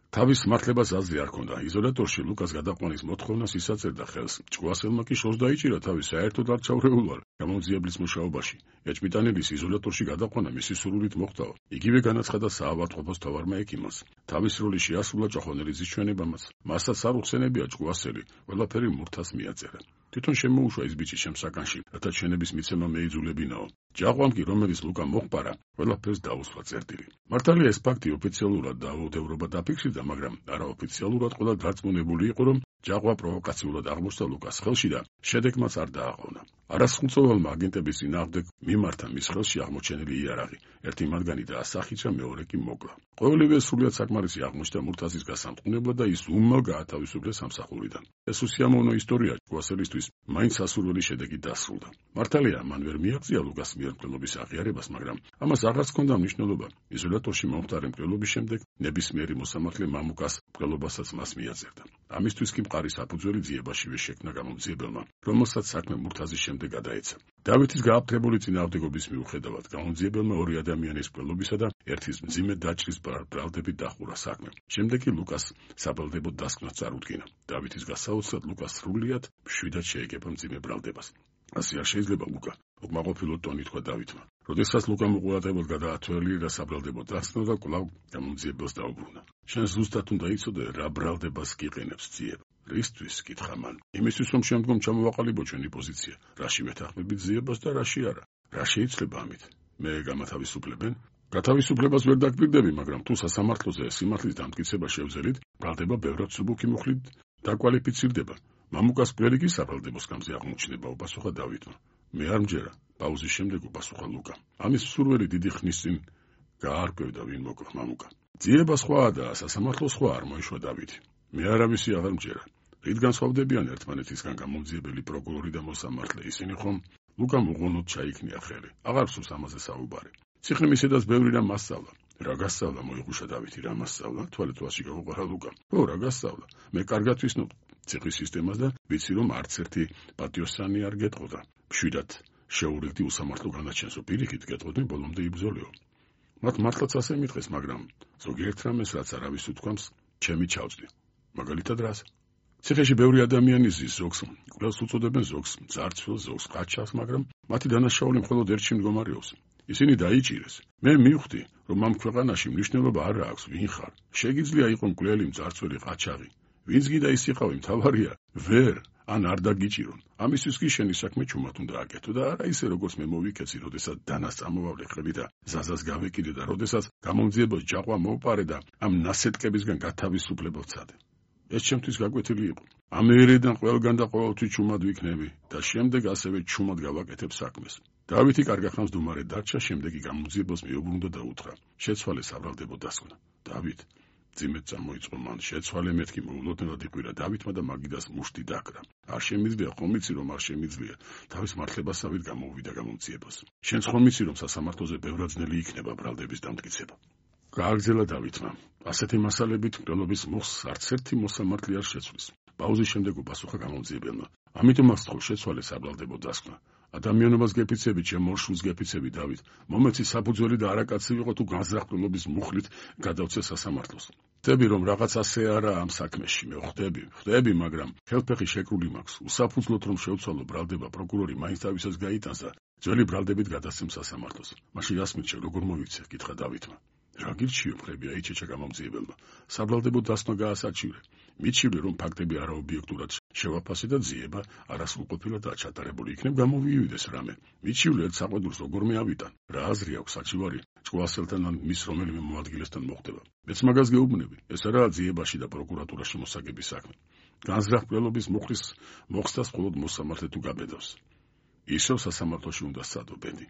თავის მართლებას აზრი არ ჰქონდა. იზოლატორში ლუკას გადაყვანის მოთხოვნას ისაწერდა ხელს. ჭკუასელმა კი შორს დაიჭირა თავი საერთოდ არ ჩაურეულვარ გამოძიებლის მუშაობაში. ეჭმიტანელის იზოლატორში გადაყვანა მისი სურვილით მოხდაო. იგივე განაცხადა საავადმყოფოს თავარმა ექიმას. თავის როლი შეასრულა ჭოხონელიძის ჩვენებამაც. მასაც არ უხსენებია ჭკუასელი, ყველაფერი მურთას მიაწერა. თვითონ შემოუშვა ეს ბიჭი ჩემს საკანში, რათა ჩვენების მიცემა მეიძულებინაო. ჯაყვამ კი, რომელიც ლუკა მოხპარა, ყველაფერს დაუსვა წერტილი. მართალია ეს ფაქტი ოფიციალურად დაუდევრობა დაფიქსირდა, მაგრამ არაოფიციალურად ყველა დარწმუნებული იყო, რომ ჯაყვა პროვოკაციულად აღმოჩნდა ლუკას ხელში და შედეგმაც არ დააყოვნა. არასრულწლოვანმა აგენტების წინააღმდეგ მიმართა მის ხელში აღმოჩენილი იარაღი. ერთი მათგანი დაასახიჭა, მეორე კი მოკლა. ყოველივე სრულიად საკმარისი აღმოჩნდა მურთაზის გასამწყნებლად და ის უმალ გაათავისუფლეს სამსახურიდან. ეს უსიამოვნო ისტორია ჭკუასელისთვის მაინც სასურველი შედეგი დასრულდა. მართალია, მან ვერ მიაღწია ლუკას მიერ მკვლელობის აღიარებას, მაგრამ ამას აღარც ჰქონდა მნიშვნელობა. იზოლატორში მომხდარი მკვლელობის შემდეგ ნებისმიერი მოსამართლე მამუკას მკვლელობასაც მას მიაწერდა. ამისთვის კი მყარი საფუძველი ძიებაშივე შექმნა გამოძიებელმა, რომელსაც საქმე მურთაზის შემდეგ გადაეცა. დავითის გააფთრებული წინააღმდეგობის მიუხედავად გამოძიებელმა ორი ადამიანის მკვლელობისა და ერთის მძიმე დაჭრის ბრალდებით დახურა საქმე. შემდეგ კი ლუკას საბრალდებო დასკვნას წარუდგინა. დავითის გასაოცრად ლუკას სრულიად მშვიდად შეეგება მძიმე ბრალდებას. ასე არ შეიძლება ლუკა, უკმაყოფილო ტონით თქვა დავითმა. როდესაც ლუკამ უყურადღებოდ გადაათვალიერა საბრალდებო დასკნა და კვლავ გამოძიებელს დაუბრუნა. შენ ზუსტად უნდა იცოდე, რა ბრალდებას გიყენებს ძიება. რისთვის კითხა მან? იმისთვის, რომ შემდგომ ჩამოვაყალიბო ჩვენი პოზიცია, რაში მეთანხმები ძიებას და რაში არა. რა შეიძლება ამით? მე გამათავისუფლებენ? გათავისუფლებას ვერ დაგპირდები, მაგრამ თუ სასამართლოზე სიმართლის დამტკიცება შევძელით, ბრალდება ბევრად მსუბუქი მუხლით დაკვალიფიცირდება. მამუკას მკვლელი კი საბრალდებო სკამზე აღმოჩნდება, უპასუხა დავითმა. მე არ მჯერა, პაუზის შემდეგ უპასუხა ლუკა. ამის სურველი დიდი ხნის წინ გაარკვევდა, ვინ მოკლა მამუკა. ძიება სხვაა და სასამართლო სხვა, არ მოიშვა დავითი. მე არავისი აღარ მჯერა. რით განსხვავდებიან ერთმანეთისგან გამოძიებელი პროკურორი და მოსამართლე? ისინი ხომ ლუკამ უღონოდ ჩაიქნია ხელი. აღარ სურს ამაზე საუბარი. ციხემ ისედაც ბევრი რამ მასწავლა. რა გასწავლა? მოიხუშა დავითი. რა მასწავლა? თვალეთვალში გაუყარა ლუკამ. ო, რა გასწავლა? მე კარგად ვისნობ ციხის სისტემას და ვიცი, რომ არც ერთი პატიოსანი არ გეტყოდა. მშვიდად შეურიგდი უსამართლო განაჩენსო, პირიქით გეტყოდნენ, ბოლომდე იბრძოლიო. მათ მართლაც ასე მითხეს, მაგრამ ზოგიერთ რამეს, რაც არავის უთქვამს, ჩემი ჩავწდი. მაგალითად რას? ციხეში ბევრი ადამიანი ზის, ზოგს კვლელს უწოდებენ, ზოგს ძარცველს, ზოგს ყაჩას, მაგრამ მათი დანაშაული მხოლოდ ერთში მდგომარეობს. ისინი დაიჭირეს. მე მივხვდი, რომ ამ ქვეყანაში მნიშვნელობა არ აქვს, ვინ ხარ. შეგიძლია იყოს მკვლელი, ძარცველი, ყაჩაღი. ვინც გიდა ის იყავი, მთავარია ვერ ან არ დაგიჭირონ. ამისთვის კი შენი საქმე ჩუმად უნდა აკეთო და არა ისე, როგორც მე მოვიქეცი, როდესაც დანას წამოვავლე ხელი და ზაზას გავეკიდე და როდესაც გამოძიებელს ჯაყვა მოვპარე და ამ ნასეტკებისგან გათავისუფლებელ ვცადე. ეს ჩემთვის გაკვეთილი იყო. ამერიდან ყველგან და ყოველთვის ჩუმად ვიქნები და შემდეგ ასევე ჩუმად გავაკეთებ საქმეს. დავითი კარგახანს დუმარე დარჩა, შემდეგ კი გამოძიებელს მიუბრუნდა და უთხრა: შეცვალე საბრალდებო დასკვნა. დავით, ძიმედ წამოიწყო მან, შეცვალე მეთქი მოულოდნელად იყვირა დავითმა და მაგიდას მუშტი დაკრა. არ შემიძლია, ხომ იცი, რომ არ შემიძლია. თავის მართლებასავით გამოუვიდა გამოძიებას. შენც ხომ იცი, რომ სასამართლოზე ბევრად ძნელი იქნება ბრალდების დამტკიცება. გააგრძელა დავითმა. ასეთი მასალებით მკვლელობის მოხს არც ერთი მოსამართლე არ შეცვლის. პაუზის შემდეგ უპასუხა გამოძიებელმა. ამიტომ აღსწყო შეცვალე საბრალდებო დასკვნა. ადამიანობას გეფიცები, ჩემ ორშულს გეფიცები, დავით. მომეცი საფუძველი და არაკაცი ვიყო თუ განზრახ მუხლით გადავცე სასამართლოს. ხვდები, რომ რაღაც ასე არა ამ საქმეში, მე ხვდები, მაგრამ ხელფეხი შეკრული მაქვს. უსაფუძვლოდ რომ შევცვალო ბრალდება, პროკურორი მაინც თავისას გაიტანს და ძველი ბრალდებით გადასცემს სასამართლოს. მაშინ რას მიჩე, როგორ მოვიქცე? კითხა დავითმა. რა გირჩიო, ხრებია იჩეჩა გამოძიებელმა. საბრალდებო დასკვნა გაასაჩივრე. მიჩივლე, რომ ფაქტები არაობიექტურად შევაფასე და ძიება არასრულყოფილად ჩატარებული იქნებ, გამოვიივიდეს რამე. მიჩივლე, ერთ საყვედურს როგორმე ავიტან. რა აზრი აქვს საჩივარი ჭკუასელთან ან მის რომელიმე მოადგილესთან მოხდება. მეც მაგას გეუბნები. ეს არაა ძიებაში და პროკურატურაში მოსაგების საქმე. განზრახ მკვლელობის მუხლის მოხსნას მხოლოდ მოსამართლე თუ გაბედავს. ისევ სასამართლოში უნდა სცადო, ბენდი.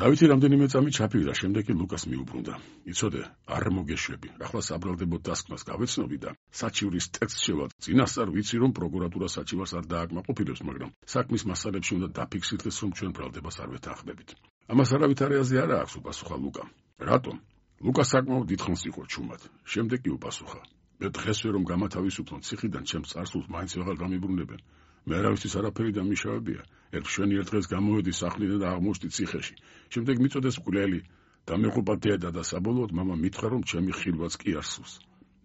დავითი რამდენიმე წამი ჩაფიქრა, შემდეგ კი ლუკას მიუბრუნდა. იცოდე, არ მოგეშვები. ახლა საბრალდებო დასკვნას გავეცნობი და საჩივრის ტექსტს შევად. წინასწარ ვიცი, რომ პროკურატურა საჩივარს არ დააკმაყოფილებს, მაგრამ საქმის მასალებში უნდა დაფიქსირდეს, რომ ჩვენ ბრალდებას არ ვეთანხმებით. ამას არავითარი აზრი არ აქვს, უპასუხა ლუკამ. რატომ? ლუკა საკმაოდ დიდხანს იყო ჩუმად. შემდეგ კი უპასუხა. მე დღესვე რომ გამათავისუფლონ ციხიდან, ჩემს წარსულს მაინც ვეღარ გამიბრუნებენ. მე არავისთვის არაფერი დამიშავებია. შვენი ერთ დღეს გამოვედი სახლიდან და აღმოჩნდი ციხეში. შემდეგ მიწოდეს მკვლელი და მეყობა დედა და საბოლოოდ მამა მითხრა, რომ ჩემი ხილვაც კი არ სურს.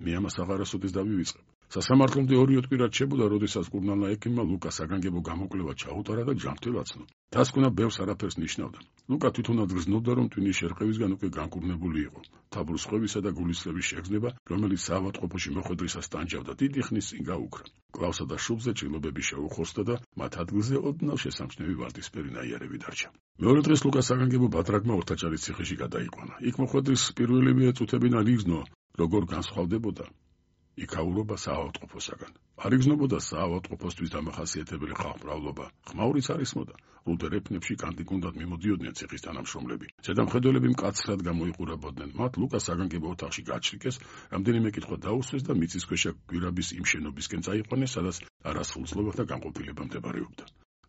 მე ამას აღარასოდეს დავივიწყებ. სასამართლომდე ორი ოტკბი რჩებოდა, როდესაც კურნალმა ექიმმა ლუკას საგანგებო გამოკვლევა ჩაუტარა და ჯანმრთელად აცნო. დასკვნა ბევრს არაფერს ნიშნავდა. ლუკა თვითონაც გრძნობდა, რომ ტვინის შერყევისგან უკვე განკურნებული იყო. თაბურის ხვევისა და გულისხმების შეგრძნება, რომელიც საავადმყოფოში მოხვედრისას ტანჯავდა, დიდი ხნის წინ გაუქრა. კლავსა და შუბლზე ჭრილობები შეუხორცდა და მათ ადგილზე ოდნავ შესამჩნევი ვარდისფერი ნაიარევი დარჩა. მეორე დღეს ლუკას საგანგებო ბათრაგმა ორთაჭალის ციხეში გადაიყვანა. იქ მოხვედრის პირველივე წუთებიდან იგრძნო, როგორ განსხვავდებოდა იქაურობა საავადმყოფოსაგან. არ იგრძნობოდა საავადმყოფოსთვის დამახასიათებელი ხალხმრავლობა. ხმაურიც არ ისმოდა. რუდ ერეფნებში კანტიკუნდად მიმოდიოდნენ ციხის თანამშრომლები. ზედამხედველები მკაცრად გამოიყურებოდნენ. მათ ლუკას საგანგებო ოთახში გაჩრიკეს, რამდენიმე კითხვა დაუსვეს და მიწისქვეშა გვირაბის იმ შენობისკენ წაიყვანეს, სადაც არასრულწლობა და განყოფილება მდებარეობდა.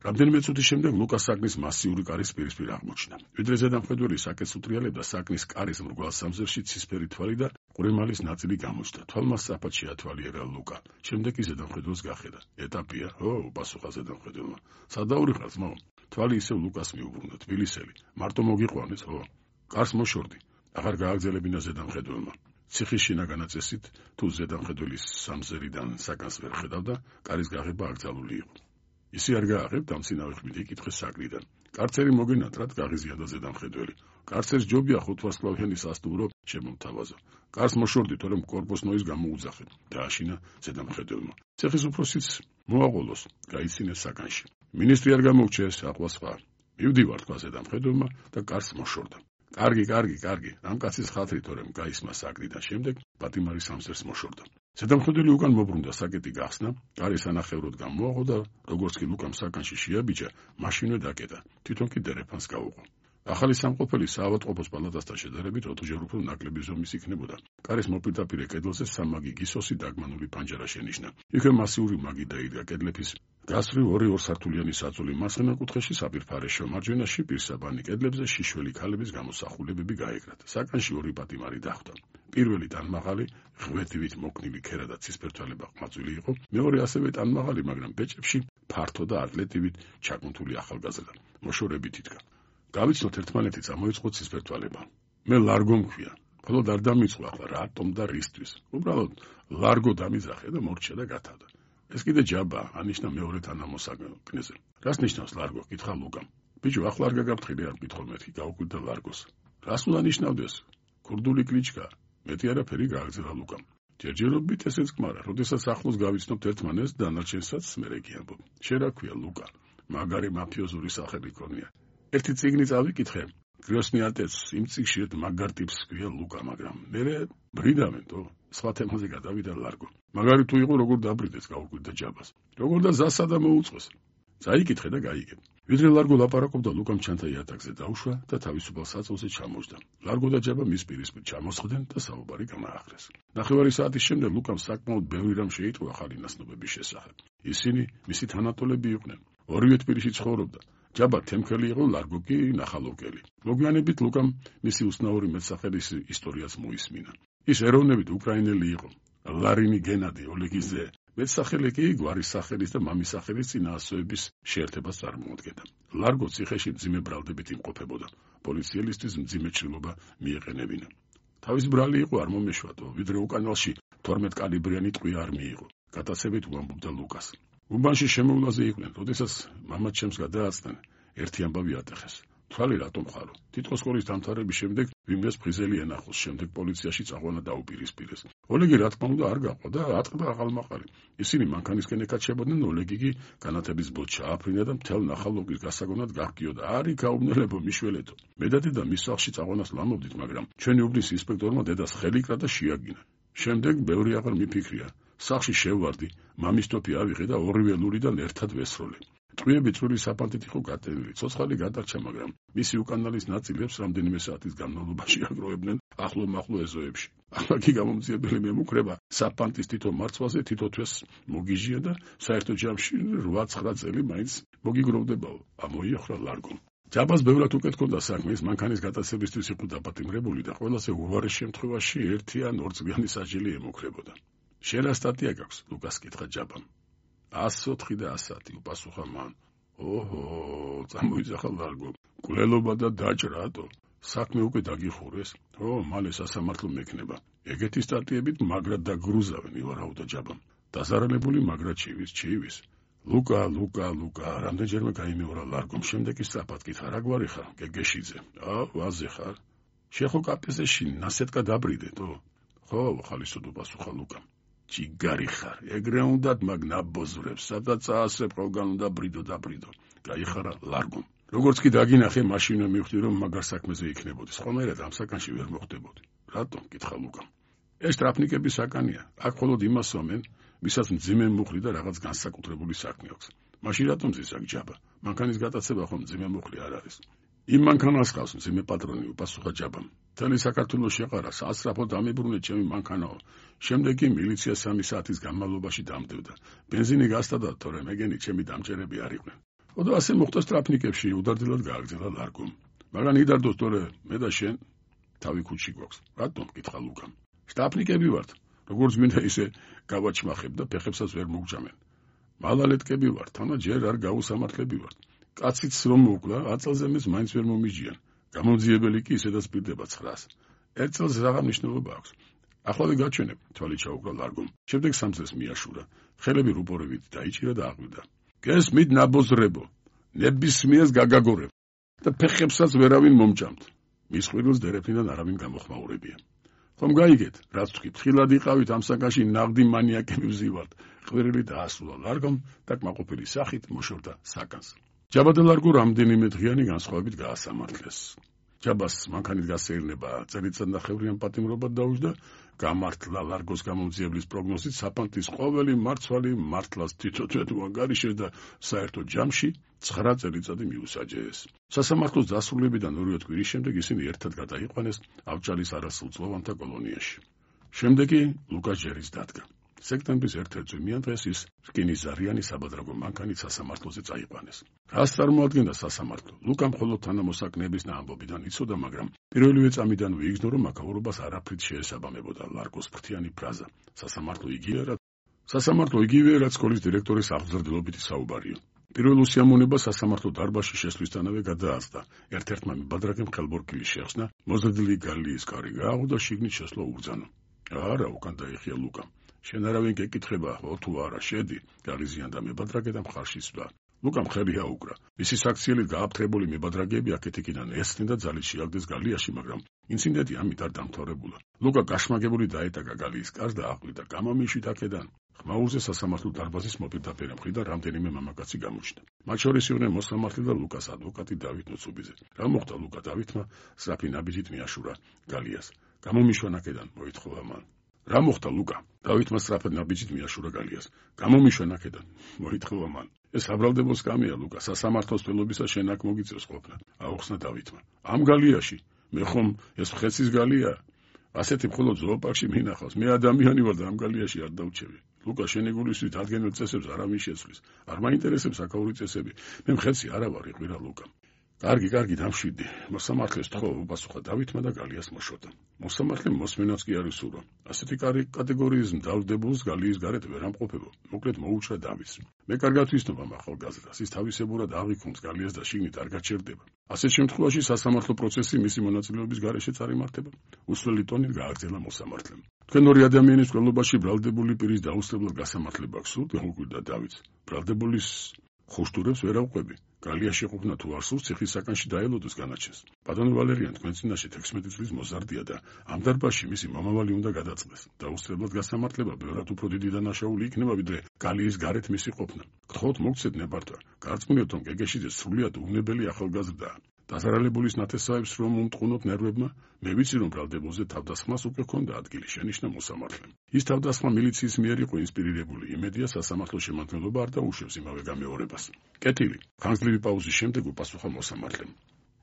რამდენიმე წუთის შემდეგ ლუკას საგნის მასიური კარის პირისპირ აღმოჩნდა. ვიდრე ზედამხედველი საკეთს უტრიალებდა, საგნის კარის მრგვალ სამზერში ცისფერი თვალი და ყურემალის ნაწილი გამოჩნდა. თვალმა სწრაფად შეათვალიერა ლუკა. შემდეგ ის ზედამხედველს გახედა. ეტაპია, პასუხა ზედამხედველმა. სადაურიხარ ძმაო? თვალი ისევ ლუკას მიუბრუნდა. თბილისელი. მარტო მოგიყვანეს, კარს მოშორდი. აღარ გააგზელებინა ზედამხედველმა. ციხის შინაგანა წესით, თუ ზედამხედველის სამზერიდან საგანს ვერ ხედავდა, კარის გაღება აკრძალული იყო. ისი არ გააღებდა, მცინავი ხმით იკითხეს საგნიდან. კარცერი მოგენატრად გაღიზიანდა ზედამხედველი. კარცერს ჯობია 5 ვარსკვლავიანი სასტუმრო შემომთავაზა. კარს მოშორდი, თორემ კორპუსნოის გამოუძახეთ. დააშინა ზედამხედველმა. ციხის უფროსიც მოაყოლოს, გაიცინეს საგანში. მინისტრი არ გამოუჩეს, ახლა სხვა. მივდივარ, თქვა ზედამხედველმა და კარს მოშორდა. კარგი, ამ კაცის ხათრი, თორემ გაისმა საგნიდან. შემდეგ პატიმარი სამზერს მოშორდა. ზედამხედველი უკან მობრუნდა, საკეტი გახსნა, კარი სანახევროდ გამოაყო და როგორც კი ლუკამ საგანში შეაბიჯა, მაშინვე დაკეტა. თვითონ კი დერეფანს გაუყო. ახალი სამყოფელი საავადმყოფოს პალატასთან შედარებით 4 ჯერ უფრო ნაკლები ზომის იქნებოდა. კარის მოპირდაპირე კედელზე სამაგი გისოსი დაგმანული პანჯარა შენიშნა. იქვე მასიური მაგი დაიდგა. კედლების გასწვრივ 2 სართულიანი საწოლი მარცხენა კუთხეში საპირფარეშო, მარჯვენაში პირსაბანი, კედლებზე შიშველი ქალების გამოსახულებები გაეკრათ. საგანში 2 პატიმარი დახვდა. პირველი ტანმაღალი, ღვედივით მოქნილი ქერა და ცისფერთვალება ყმაწვილი იყო. მეორე ასევე ტანმაღალი, მაგრამ ბეჭებში ფართო და ატლეტივით ჩაკუნთული ახალგაზრდა. მოშორებით იდგა. გავიცნოთ ერთმანეთი, წამოიწყო ცისფერთვალება. მე ლარგო მქვია. მხოლოდ არ დამიწყვა ახლა რატომ და რისთვის. უბრალოდ ლარგო დამიძახე და მორჩა და გათავდა. ეს კიდე ჯაბა, ანიშნა მეორე თანამოსაგნეზე. რას ნიშნავს ლარგო? კითხა ლუკამ. ბიჭო, ახლა არ გაგაფრთხილი, არ მკითხავ მეთქი, გაუკვირდა ლარგოს. რას უნდა ნიშნავდეს? ქურდული კლიჩკა. მეტი არაფერი გააგზავნა ლუკამ. ჯერჯერობით ესეც კმარა, როდესაც ახლოს გავიცნობთ ერთმანეთს, დანარჩენსაც მერე გიამბობ. შენ რა ქვია ლუკა? მაგარი მაფიოზური სახელი ქონია. ერთი წიგნი წავიკითხე. გროსნი ატეც, იმ წიგნში ერთ მაგარ ტიპს ქვია ლუკა, მაგრამ მერე ბრიდავენთო. სხვა თემაზე გადავიდა ლარგო. მაგარი თუ იყო, როგორ დაბრიდეს, გაუკვირდა ჯაბას. როგორ და ზასადა მოუწყოს. წაიკითხე და გაიგებ. ვიდრე ლარგო ლაპარაკობდა, ლუკამ ჩანთა იატაკზე დაუშვა და თავისუფალ საწოლზე ჩამოჯდა. ლარგო და ჯაბა მის პირისპირ ჩამოსხდნენ და საუბარი განაახლეს. ნახევარი საათის შემდეგ ლუკამ საკმაოდ ბევრი რამ შეიტყვა ახალი ნაცნობების შესახებ. ისინი მისი თანატოლები იყვნენ. ორივე თბილისში ცხოვრობდა. ჯაბა თემქელი იყო, ლარგო კი ნახალოვკელი. მოგვიანებით ლუკამ მისი უცნაური მეტსახელის ისტორიაც მოისმინა. ის ეროვნებით უკრაინელი იყო. ლარინი გენადი ოლეგიძე. მეტსახელი კი გვარის სახელის და მამის სახელის წინაასწორების შეერთებას წარმოადგენდა. ლარგო ციხეში მძიმე ბრალდებით იმყოფებოდა. პოლიციელისთვის მძიმე ჭრილობა მიეყენებინა. თავის ბრალი იყო, არ მომეშვადო, ვიდრე უკანალში 12 კალიბრიანი ტყვია არ მიიღო. გატაცებით უამბობდა ლუკას. უბანში შემოვლაზე იყვნენ, როდესაც მამაც ჩემს გადააცდნენ, ერთი ამბავი ატეხეს. თვალი რატომ ხარო? თითქოს სკოლის დამთავრების შემდეგ ვინმეს ფხიზელი ენახოს, შემდეგ პოლიციაში წაყვანა დაუპირისპირეს. ოლეგი რა თქმა უნდა არ გაყვა და ატყდა აღალმაყარი. ისინი მანქანისკენ ეკაჩებოდნენ, ოლეგიგი განათების ბოთს ჩააფრინა და მთელ ნახალოვკის გასაგონად გაგკიოდა. არი გაუბნელებო მიშველეთო. მე და დედა მის სახლში წაყვანას ლამობდით, მაგრამ ჩვენი უბნის ინსპექტორმა დედას ხელი კრა და შეაგინა. შემდეგ ბევრი აღარ მიფიქრია. სახლში შევვარდი, მამის ტოფი ავიღე და ორივე ლურიდან ერთად ვესროლე. ტყვიები წვრილი საფანტით იყო გატენილი, ცოცხალი გადარჩა, მაგრამ მისი უკანალის ნაწილებს რამდენიმე საათის განმავლობაში აგროვებდნენ ახლო-მახლო ეზოებში. ახლა კი გამომძიებელი მემუქრება საფანტის თითო მარცვალზე თითო თვეს მოგიჟია და საერთო ჯამში 8-9 წელი მაინც მოგიგროვდებაო. ამოიახრა ლარგომ. ჯაბას ბევრად უკეთ ჰქონდა საქმე, ის მანქანის გატაცებისთვის იყო დაპატიმრებული და ყველაზე უვარეს შემთხვევაში 1 ან 2 წლიანი სასჯელი ემუქრებოდა. შენ რა სტატია გაქვს? ლუკას კითხა ჯაბამ. 104 და 110 უპასუხა მან. ოჰო, წამოიძახა ლარგო. მკვლელობა და დაჭრა, ატო. საქმე უკვე დაგიხურეს. მალე სასამართლო მექნება. ეგეთი სტატიებით მაგრად დაგრუზავენ ივარაუდა ჯაბამ. დაზარალებული მაგრა ჩივის. ლუკა, რამდენჯერმე გაიმეორა ლარგომ, შემდეგ ის სწრაფად კითხა, რა გვარი ხარ, გეგეშიძე? ვაზე ხარ? შეხო კაფეში ნასეტკა დაბრიდეთო? ხო, ხალისოდო პასუხა ლუკამ. ჯიგარი ხარ, ეგრე უნდათ მაგ ნაბოზრებს, სადაც აასრებ ყველგან უნდა დაბრიდო. გაიხარა ლარგომ. როგორც კი დაგინახე, მაშინვე მივხვდი, რომ მაგარ საქმეზე იქნებოდი. სხვანაირად ამ საკანში ვერ მოხდებოდი. რატომ? კითხა ლუკამ. ეს ტრაფნიკების საკანია. აქ მხოლოდ იმას სვამენ, ვისაც მძიმე მუხლი და რაღაც განსაკუთრებული საქმე აქვს. მაშინ რატომ ზის აქ ჯაბა? მანქანის გატაცება ხომ მძიმე მუხლი არ არის. იმ მანქანას ყავს მძიმე პატრონი, უპასუხა ჯაბამ. მთელი საქართველოს შეყარა, სასწრაფოდ ამიბრუნე ჩემი მანქანაო. შემდეგ კი მილიცია 3 საათის განმავლობაში დამდებდა. ბენზინი გასტადა, თორემ მეგენი ჩემი დამჭერები არ იყვნენ. ოდო ასე მოხდა ტრაფნიკებში, უდარდელად გააგრძელა ლარგომ. მაგან იდარდოს, თორე მე და შენ თავი ქუჩში გვაქვს. რატომ? კითხა ლუკამ. შტაფნიკები ვართ. როგორც მინდა ისე გავაჩმახებ და ფეხებსაც ვერ მოგჯამენ. მალალეთკები ვართ, თანა ჯერ არ გაუსამართლები ვართ. კაციც რომ მოკლა, 10 წელზე მეც მაინც ვერ მომიჯიან. გამოძიებელი კი ისედაც პირდება 9-ს. 1 წელს რაღა მნიშვნელობა აქვს. ახლა გაჩვენებ, თვალი ჩაუყრა ლარგომ. შემდეგ 3 წელს მიაშურა. ხელები რუპორებით დაიჭირა და აღვიდა. გესმით ნაბოზრებო, ნებისმიერს გაგაგორებ და ფეხებსაც ვერავინ მომჭამთ. მის ხვირილს დერეფნიდან არავინ გამოხმაურებია. ხომ გაიგეთ, რაც თქვი, თხილად იყავით ამ საკანში ნაღდი მანიაკები ვზივართ. ხვირილი დაასრულა ლარგომ და კმაყოფილი სახით მოშორდა საკანს. ჯაბა და ლარგო რამდენიმე დღიანი განსხვავებით გაასამართლეს. ჯაბას მანქანით გასეირნება წელიწადნახევრიან პატიმრობად დაუჯდა, გამართლა ლარგოს გამომძიებლის პროგნოზით საფანტის ყოველი მარცვალი მართლას თვითონ უანგარიშეს და საერთო ჯამში 9 წელიწადი მიუსაჯეს. სასამართლოს დასრულებიდან 2 კვირის შემდეგ ისინი ერთად გადაიყვანეს ავჭალის არასრულწლოვანთა კოლონიაში. შემდეგ კი ლუკას ჯერის დადგა. სექტემბრის 1 წვიმიან დღეს ის რკინისზარიანი საბადრაგო მანქანით სასამართლოზე წაიყვანეს. რას წარმოადგენდა სასამართლო? ლუკამ მხოლოდ თანამოსაკნეების და ამბობიდან იცოდა, მაგრამ პირველივე წამიდან ვიგრძნო, რომ მაკაურობას არაფრით შეესაბამებოდა ლარგოს ფრთიანი ფრაზა. სასამართლო იგივეა, რაც სკოლის დირექტორის აღზრდილობითი საუბარია. პირველ უსიამოვნებას სასამართლო დარბაზში შესვლისთანავე გადააწყდა. ერთ-ერთმა მიბადრაგემ ხელბორკილი შეხსნა, მოზრდილი გალიის კარი გააღო და შიგნით შესვლა უბრძანა. არა, უკან დაიხია ლუკამ. შენ არავინ გეკითხება, თუ არა, შედი, გალიზიანდა მებადრაგე და მხარში სვლა. ლუკამ ხელი აუკრა. მისი საქციელით გააფთრებული მებადრაგეები აქეთ-იქიდან ესხნენ და ძალით შეაგდეს გალიაში, მაგრამ ინციდენტი ამით არ დამთავრებულა. ლუკა გაშმაგებული დაეტაკა გალიის კარს და აყვირდა, გამომიშვით აქედან. ხმაურზე სასამართლო დარბაზის მოპირდაპირე მხრიდან რამდენიმე მამაკაცი გამოჩნდა. მათ შორის იყვნენ მოსამართლე და ლუკას ადვოკატი დავით ნოცუბიძე. რა მოხდა ლუკა დავითმა სწრაფი ნაბიჯით მიაშურა გალიას. გამომიშვან აქედან, მოითხოვა მან. რა მოხდა ლუკა? დავითმა სწრაფად ნაბიჯით მიაშურა გალიას. გამომიშვან აქედან, მოითხოვა მან. ეს აბრალდებოს კამია ლუკა, სასამართლოს თველობისა შენ აქ მოგიწევს ყოფნა. აუხსნა დავითმა. ამ გალიაში? მე ხომ ეს ხეცის გალია? ასეთი მხოლოდ ზოოპარკში მინახავს. მე ადამიანი ვარ და ამ გალიაში არ დავჩევი. ლუკა, შენი გულისვით ადგენილ წესებს არავინ შეცვლის. არ მაინტერესებს აკაური წესები. მე მხეცი არა ვარ, იყვირა ლუკა. კარგი, დამშვიდი. მოსამართლეს თხოვ, უპასუხა დავითმა და გალიას მოშორდა. მოსამართლემ მოსმენაც კი არ უსურვა. ასეთი კატეგორიის მდავდებულს გალიის გარეთ ვერ ამყოფებო. მოკლედ მოუჭრა დავით. მე კარგად ვისნობ ამ ახალგაზრდას. ის თავისებურად აღიქონს გალიას და შიგნით არ გაჩერდება. ასეთ შემთხვევაში სასამართლო პროცესი მისი მონაწილეობის გარეშე წარიმართება. უსვლელი ტონით გააგრძელა მოსამართლემ. თქვენ ორი ადამიანის მკვლელობაში ბრალდებული პირის დაუსწრებლად გასამართლება გსურთ, უყვირდა დავითს. ბრალდებულის ხუშტურებს ვერ ავყვები. გალიაში ყოფნა თუ არ სურს, ციხის საკანში დაელოდოს განაჩენს. ბატონო ვალერიან, თქვენ წინაშე 16 წლის მოზარდია და ამ დარბაზში მისი მომავალი უნდა გადაწყდეს. დაუსწრებლად გასამართლება ბევრად უფრო დიდი დანაშაული იქნება, ვიდრე გალიის გარეთ მისი ყოფნა. გთხოვთ მოგცეთ ნებართვა. გარწმუნებთ, რომ გეგეშიძე სრულიად უნებელი ახალგაზრდაა. დაზარალებულის ნათესავებს რომ უმტყუნოთ ნერვებმა, მე ვიცი, რომ ბრალდებულზე თავდასხმას უკვე ჰქონდა ადგილი, შენიშნა მოსამართლემ. ის თავდასხმა მილიციის მიერ იყო ინსპირირებული, იმედია სასამართლო შემადგენლობა არ დაუშვებს იმავე გამეორებას. კეთილი. ხანგრძლივი პაუზის შემდეგ უპასუხა მოსამართლემ.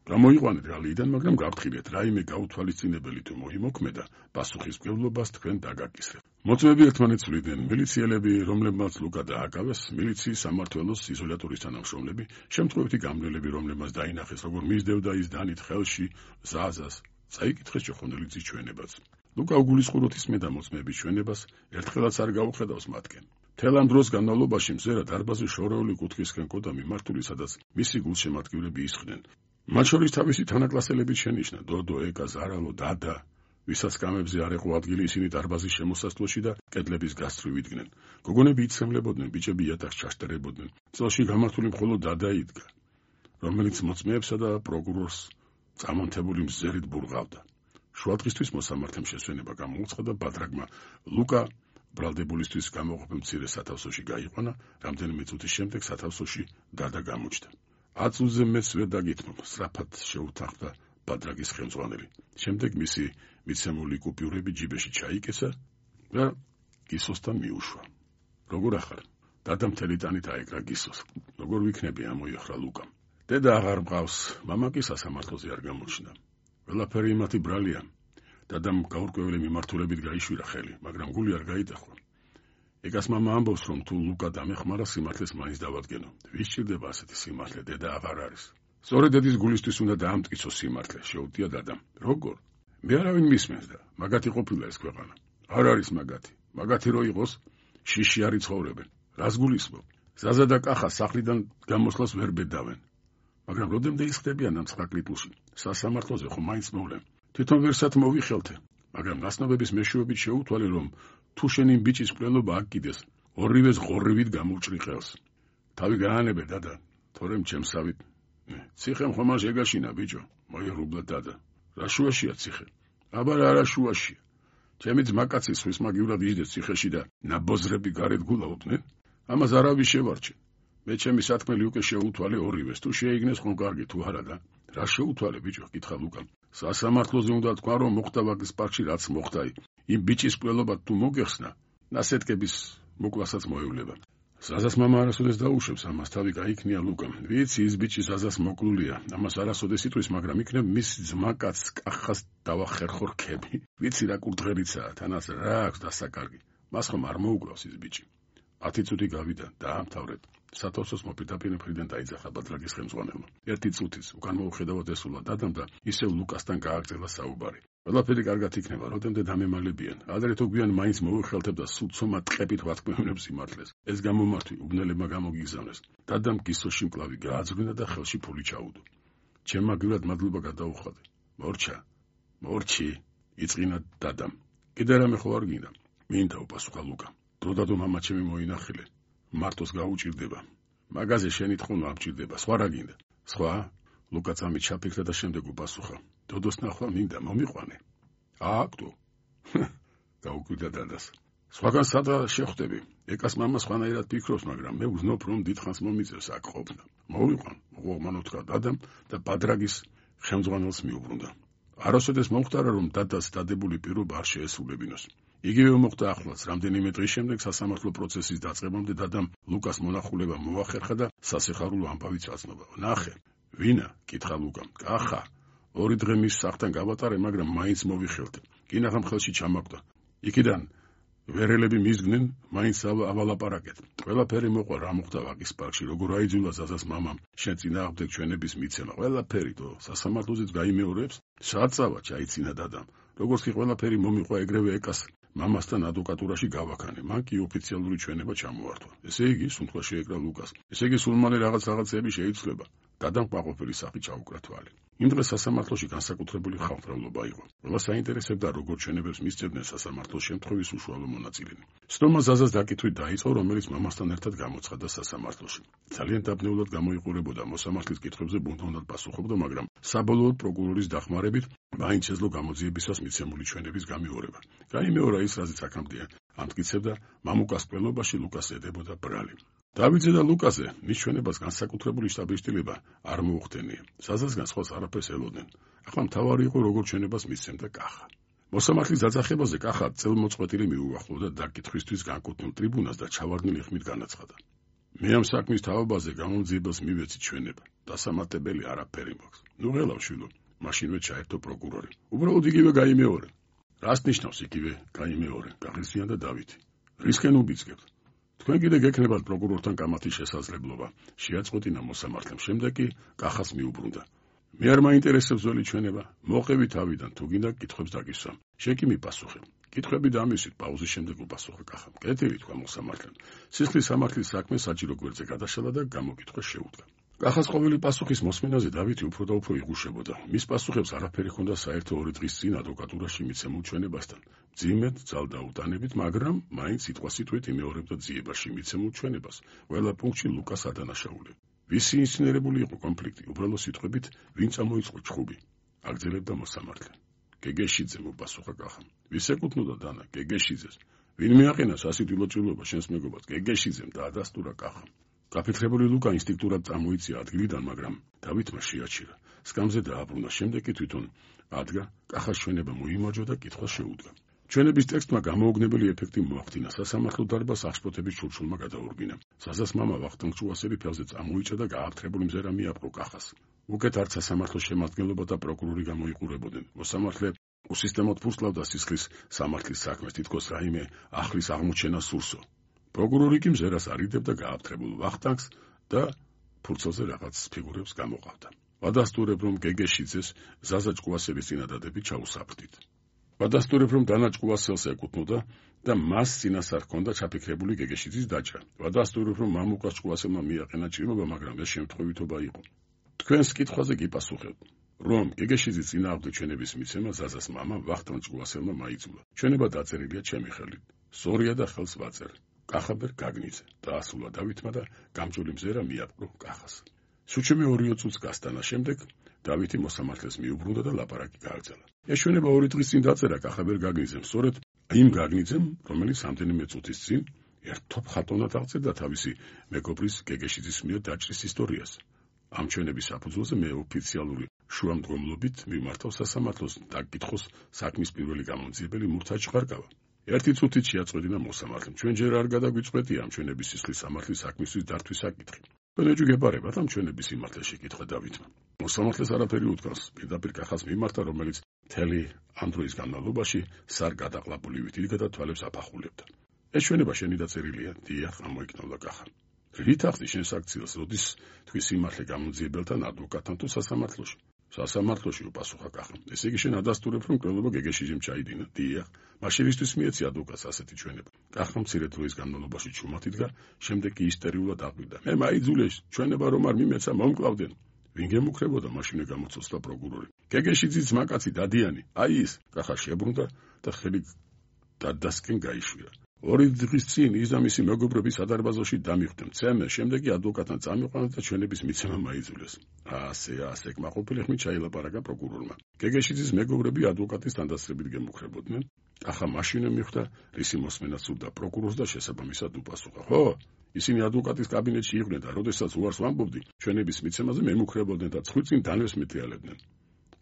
გამოიყვანეთ გალიიდან, მაგრამ გაფრთხილეთ, რაიმე გაუთვალისწინებელი თუ მოიმოქმედა, პასუხისმგებლობას თქვენ დაგაკისრებთ. მოწმეები ერთმანეთს ვლიდნენ, მილიციელები, რომლებმაც ლუკა დააკავეს, მილიციის სამმართველოს იზოლატორის თანამშრომლები, შემთხვევითი გამგებლები, რომლებმაც დაინახეს, როგორ მისდევდა ის დანით ხელში ზაზას, წაიკითხეს ჭოხონდელიძის ჩვენებაც. ლუკა უგულისხმობთ ისმენდა მოწმეების ჩვენებას, ერთხელაც არ გაუხედავს მათკენ. მთელ ამ დროს განმავლობაში მზერა დარბაზის შორეული კუთხისკენ კოდა მიმართული, სადაც მისი გულშემატკივრები ისხდნენ. მათ შორის თავისი თანაკლასელებით შენიშნა დოდო, ეკა, ზარალო, დადა. ვისაც კამებზე არ ეყო ადგილი, ისინი დარბაზის შემოსასვლელში და კედლების გასწვრივ იდგნენ. გოგონები იცემლებოდნენ, ბიჭები იატაკს ჩაშტერებოდნენ. წელში გამართული მხოლოდ დადა იდგა, რომელიც მოწმეებსა და პროკურორს წამონთებული მზერით ბურღავდა. შუადღისთვის მოსამართლემ შესვენება გამოუცხადა და ბადრაგმა ლუკა ბრალდებულისთვის გამოყოფილ მცირე სათავსოში გაიყვანა, რამდენიმე წუთის შემდეგ სათავსოში დადა გამოჩნდა. 10 წუთზე მეც ვერ დაგითმობ, სწრაფად შეუთანხმდა ბადრაგის ხელმძღვანელი. შემდეგ მისი მიცემული კუპიურები ჯიბეში ჩაიკეცა და გისოსთან მიუშვა. როგორ ახარ? დადა მთელი ტანით აეკრა გისოს. როგორ ვიქნები? ამოიხრა ლუკამ. დედა აღარ მყავს, მამა კი სასამართლოზე არ გამოჩნდა. ყველაფერი იმათი ბრალია. დადამ გაურკვეველი მიმართულებით გაიშვირა ხელი, მაგრამ გული არ გაიტახვა. ეკას მამა ამბობს, რომ თუ ლუკა დამეხმარა, სიმართლეს მაინც დავადგენო. ვის სჭირდება ასეთი სიმართლე? დედა აღარ არის. სწორედ დედის გულისთვის უნდა დაამტკიცოს სიმართლე, შეუტია დადამ. როგორ? მე არავინ მისმენს და მაგათი ყოფილა ეს ქვეყანა. არ არის მაგათი. მაგათი რო იყოს, შიში არ იცხოვრებენ. რას გულისხმობ? ზაზა და კახა სახლიდან გამოსვლას ვერ ბედავენ. მაგრამ როდემდე ისხდებიან ამ ცხრაკლიტულში? სასამართლოზე ხომ მაინც მოვლენ. თვითონ ვერსად მოვიხელთე, მაგრამ ნაცნობების მეშვეობით შეუთვალე, რომ თუ შენი ბიჭის მკვლელობა აკიდეს, ორივეს ღორრივით გამოვჭრი ხელს. თავი გაანებე დადა, თორემ ჩემსავით. ციხემ ხომ არ შეგაშინა ბიჭო, მოიერუბლა დადა. რა შუაშია ციხე? აბა რა შუაშია? ჩემი ძმაკაცი ხვის მაგივრად იჯდეს ციხეში და ნაბოზრები გარეთ გულაობდნენ? ამას არავის შევარჩენ. მე ჩემი სათქმელი უკვე შეუთვალე ორივეს, თუ შეიგნეს ხომ კარგი, თუ არა და რა შეუთვალე ბიჭო? კითხა ლუკამ. სასამართლოზე უნდა თქვა, რომ მოხდა ვაგის პარკში რაც მოხდა, იმ ბიჭის მკვლელობა თუ მოგეხსნა, ნასეთქების მოკლასაც მოევლება. ზაზას მამა არასოდეს დაუშვებს, ამას თავი გაიქნია ლუკამ. ვიცი, ის ბიჭი ზაზას მოკლულია, ამას არასოდეს იტყვის, მაგრამ იქნებ მის ძმაკაცს კახას დავახერხო რქები. ვიცი რა კურდღერიცაა, თანაც რა აქვს დასაკარგი. მას ხომ არ მოუკლავს ის ბიჭი. 10 წუთი გავიდა, დაამთავრეთ. სათავსოს მოპირდაპირ მხრიდან დაიძახა ბადრაგის ხელმძღვანელმა. 1 წუთის უკან მოუხედავად ესულა დადამ და ისევ ლუკასთან გააგრძელა საუბარი. ყველაფერი კარგად იქნება, როდემდე დამემალებიან. ადრე თუ გვიან მაინც მოუხელთებ და სულცომა ტყებით ვათქმევინებს სიმართლეს. ეს გამომართვი უბნელებმა გამოგიგზავნეს. დადამ გისოში მკლავი გააძღვინა და ხელში ფული ჩაუდო. ჩემ მაგივრად მადლობა გადაუხადე. მორჩი, იწყინა დადამ. კიდე რამე ხო არ გინდა? მინდა უპასუხა ლუკა. დროდადო მამა ჩემი მოინახილე. მარტოს გაუჭირდება. მაგაზე შენი თხოვნა ამჭირდება, სხვა რა გინდა? სხვა? ლუკა წამით ჩაფიქრა და შემდეგ უპასუხა. დოდოს ნახვა მინდა, მომიყვანე. აქტო. გაუკვირდა დადას. სხვაგან სადა შეხვდები? ეკას მამა სხვანაირად ფიქრობს, მაგრამ მე ვზნობ, რომ დიდხანს მომიწევს აქ ყოფნა. მოვიყვან, უღმან უთხრა დადამ და ბადრაგის ხელმძღვანელს მიუბრუნდა. არასოდეს მომხდარა, რომ დადას დადებული პირობა არ შეესრულებინოს. იგივე მოხდა ახლაც, რამდენიმე დღის შემდეგ სასამართლო პროცესის დაწყებამდე დადამ ლუკას მონახულება მოახერხა და სასიხარულო ამბავიც აცნობა. ნახე, ვინა? კითხა ლუკამ. კახა. 2 დღე მის სახლთან გავატარე, მაგრამ მაინც მოვიხელთე. კინაღამ ხელში ჩამაგდა. იქიდან ვერელები მისგნენ, მაინც ავალაპარაკეთ. ყველაფერი მოყვა რა მოხდა ვაგის პარკში, როგორ აიძულა ზაზას მამამ შენ წინააღმდეგ ჩვენების მიცემა. ყველაფერი თო სასამართლოზეც გაიმეორებს. საწავა ჩაიცინა დადამ. როგორც კი ყველაფერი მომიყვა ეგრევე ეკას მამასთან ადვოკატურაში გავაქანე. მან კი ოფიციალური ჩვენება ჩამოართვა. ესე იგი, სუნთქვა შეეკრა ლუკას. ესე იგი, სულმანე რაღაცები შეიცვლება. დადამ ყვაყოფილი სახი ჩაუკრა თვალი. იმ დღეს სასამართლოში განსაკუთრებული ხალხმრავლობა იყო. ყველა საინტერესებდა, როგორ ჩვენებებს მისცემდნენ სასამართლოს შემთხვევის უშუალო მონაწილენი. სტომა ზაზას დაკითვით დაიწყო, რომელიც მამასთან ერთად გამოცხადდა სასამართლოში. ძალიან დაბნეულად გამოიყურებოდა მოსამართლის კითხვებზე ბუნდოვნად პასუხობდა, მაგრამ საბოლოოდ პროკურორის დახმარებით მაინც შეძლო გამოძიებისას მიცემული ჩვენების გამეორება. გაიმეორა ის, რაზეც აქამდე ამტკიცებდა, მამუკას მკვლელობაში ლუკას ედებოდა ბრალი. დავიძე და ლუკაზე მის ჩვენებას განსაკუთრებული შტაბ-შტილება არ მოუხდენია. საზასგან სხვას არაფერს ელოდნენ. ახლა მთავარი იყო, როგორ ჩვენებას მისცემდა კახა. მოსამართლის დაძახებაზე კახა წელმოწყვეტილი მიუახლოვდა დაკითხვისთვის განკუთვნილ ტრიბუნას და ჩავარდნილი ხმით განაცხადა. მე ამ საქმის თავობაზე გამომძიებას მივეცი ჩვენება. დასამატებელი არაფერი მაქვს. ნუ ღელავ შვილო, მაშინვე ჩაერთო პროკურორი. უბრალოდ იგივე გაიმეორე. რას ნიშნავს იგივე გაიმეორე? გაღიზიანდა დავითი. რისკენ უბიძგებთ? თქვენ კიდე გექნებათ პროკურორთან კამათის შესაძლებლობა. შეაწყვეტინა მოსამართლემ. შემდეგ კი კახას მიუბრუნდა. მე არ მაინტერესებს ძველი ჩვენება. მოყევი თავიდან, თუ გინდა კითხვებს დაგისვამ. შენ კი მიპასუხე. კითხვები დამისვით, პაუზის შემდეგ უპასუხა კახამ. კეთილი თქვა მოსამართლემ. სისხლის სამართლის საქმე საჭირო გვერდზე გადაშალა და გამოკითხვა შეუდგა. კახას ყოველი პასუხის მოსმენაზე დავითი უფრო და უფრო იღუშებოდა. მის პასუხებს არაფერი ჰქონდა საერთო 2 დღის წინ ადვოკატურაში მიცემულ ჩვენებასთან. მძიმედ ძალდაუტანებით, მაგრამ მაინც სიტყვასიტყვით იმეორებდა ძიებაში მიცემულ ჩვენებას. ყველა პუნქტში ლუკას ადანაშაული. ვისი ინსცენირებული იყო კონფლიქტი, უბრალო სიტყვებით, ვინ წამოიწყო ჩხუბი? აგრძელებდა მოსამართლე. გეგეშიძე, მოპასუხა კახამ. ვის ეკუთვნოდა დანა? გეგეშიძეს. ვინ მიაყენა სასიკვდილო ჭრილობა შენს მეგობარს? გეგეშიძემ დაადასტურა კახამ. გაფიქრებული ლუკა ინსტინქტურად წამოიწია ადგილიდან, მაგრამ დავითმა შეაჩირა. სკამზე დააბრუნა, შემდეგ კი თვითონ ადგა, კახას ჩვენება მოიმარჯვა და კითხვას შეუდგა. ჩვენების ტექსტმა გამოუგნებელი ეფექტი მოახდინა. სასამართლო დარბაზს აღშფოთების ჩურჩულმა გადაურბინა. საზას მამა ვახტანგ ჭუასელი ფეხზე წამოიჭა და გააფთრებული მზერა მიაპყრო კახას. უკეთ არც სასამართლოს შემადგენლობა და პროკურორი გამოიყურებოდნენ. მოსამართლე უსისტემოდ ფურსლავდა სისხლის სამართლის საქმეს, თითქოს რაიმე ახლის აღმოჩენა სურსო. პროკურორი კი მზერას არიდებდა გააფთრებულ ვახტანგს და ფურცელზე რაღაც ფიგურებს გამოყავდა. ვადასტურებ, რომ გეგეშიძეს ზაზა ჭკუასელის წინადადებით ჩაუსაფრდით. ვადასტურებ, რომ დანა ჭკუასელს ეკუთვნოდა და მას წინასწარ ჰქონდა ჩაფიქრებული გეგეშიძის დაჭრა. ვადასტურებ, რომ მამუკას ჭკუასელმა მიაყენა ჭრილობა, მაგრამ ეს შემთხვევითობა იყო. თქვენს კითხვაზე კი პასუხებ, რომ გეგეშიძის წინააღმდეგ ჩვენების მიცემა ზაზას მამა ვახტანგ ჭკუასელმა მაიძულა. ჩვენება დაწერილია ჩემი ხელით. სწორია და ხელს ვაწერ. კახაბერ გაგნიძე. დაასრულა დავითმა და გამჭოლი მზერა მიაპყრო კახას. სუჩემე 2 წუთს გასტანა შემდეგ დავითი მოსამართლეს მიუბრუნდა და ლაპარაკი გააგრძელა. ეს ჩვენება 2 დღის წინ დაწერა კახაბერ გაგნიძემ, სწორედ იმ გაგნიძემ, რომელიც რამდენიმე წუთის წინ ერთთოფ ხატოვნად აღწერდა თავისი მეგობრის გეგეშიძის მიერ დაჭრის ისტორიას. ამ ჩვენების საფუძველზე მე ოფიციალური შუამდგომლობით მიმართავ სასამართლოს და გკითხოს საქმის პირველი გამომძიებელი მურთა ჭყარკავა. 1 წუთით შეაწყვეტინა მოსამართლემ. ჩვენ ჯერ არ გადაგვიწყვეტია ამ ჩვენების სისხლის სამართლის საქმისთვის დართვის საკითხი. თქვენ ეჭვი გეპარებათ ამ ჩვენების სიმართლე შეკითხა დავითმა. მოსამართლეს არაფერი უთქვას, პირდაპირ კახას მიმართა, რომელიც მთელი ამ დროის განმავლობაში სარგადაყლაპულივით იდგა და თვალებს აფახულებდა. ეს ჩვენება შენი დაწერილია? დიახ, ამოიქნევდა კახა. რით ახდი შენს აქციელს, როდის თქვი სიმართლე გამომძიებელთან ადვოკატთან თუ სასამართლოში? სასამართლოში, უპასუხა კახა. ესე იგი შენ ადასტურებ, რომ მკვლელობა გეგეშიძემ ჩაიდინა? დიახ. მაშინისთვის მიეცი ადვოკატს ასეთი ჩვენება. კახა მცირე დროის განმავლობაში ჩუმად იდგა, შემდეგ კი ისტერიულად აღვირდა. მე მაიძულეს, ჩვენება რომ არ მიმეცა, მომკლავდნენ. ვინ გემუქრებოდა? მაშინე გამოცოცხლა პროკურორი. გეგეშიძის ძმაკაცი დადიანი, აი ის. კახა შებრუნდა და ხელი დადასკენ გაიშვირა. 2 დღის წინ ის და მისი მეგობრები სადარბაზოში დამიხვდნენ. მცემე, შემდეგ კი ადვოკატთან წამიყვანა და ჩვენების მიცემა მაიძულეს. ასე კმაყოფილი ხმით ჩაილაპარაკა პროკურორმა. გეგეშიძის მეგობრები ადვოკატის თანდასწრებით გემუქრებოდნენ. ახლა მაშინე მიხვდა, რისი მოსმენა სურდა პროკურორს და შესაბამისად უპასუხა. ხო, ისინი ადვოკატის კაბინეტში იყვნენ და როდესაც უარს ვამბობდი, ჩვენების მიცემაზე მემუქრებოდნენ და ცხვირწინ დანებს მეტიალებდნენ.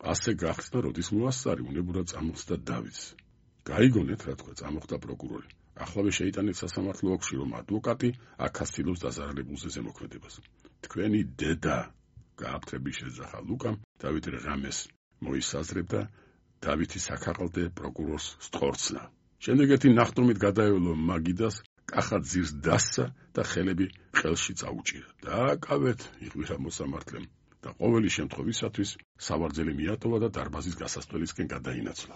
ასე გახსნა, როდის მოასწარი უნებურად წამოხსდა დავითს. გაიგონეთ, რა თქვა, წამოხდა პროკურორი. ახლავე შეიტანეთ სასამართლო ოლქში, რომ ადვოკატი აქაც ცდილობს დაზარალებულზე ზემოქმედებას. თქვენი დედა გააფთრების შეძახა ლუკამ, დავით რღამეს მოისაზრებდა დავითი საქაყალდე პროკურორს სწორცნა. შემდეგ ერთი ნახტომით გადაევლო მაგიდას, კახა ძირს დასცა და ხელები ყელში წაუჭირა. დააკავეთ, იღვირა მოსამართლემ და ყოველი შემთხვევისათვის სავარძელი მიატოვა და დარბაზის გასასვლელისკენ გადაინაცვლა.